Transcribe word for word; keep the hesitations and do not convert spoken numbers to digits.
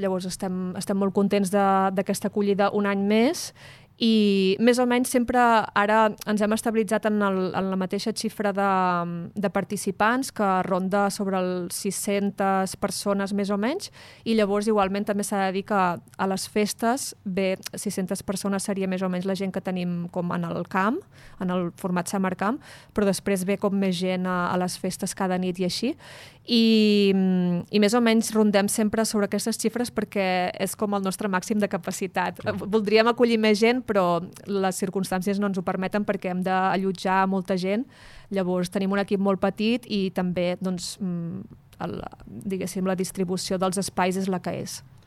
Llavors estem, estem molt contents d'aquesta acollida un any més i més o menys sempre ara ens hem estabilitzat en, el, en la mateixa xifra de, de participants, que ronda sobre els sis-centes persones més o menys, i llavors igualment també s'ha de dir que a les festes, bé, sis-centes persones seria més o menys la gent que tenim com en el camp, en el format Summer Camp, però després ve com més gent a, a les festes cada nit i així, i, i més o menys rondem sempre sobre aquestes xifres perquè és com el nostre màxim de capacitat. Voldríem acollir més gent, però les circumstàncies no ens ho permeten perquè hem d'allotjar molta gent. Llavors tenim un equip molt petit i també doncs, el, diguéssim, la distribució dels espais és la que és.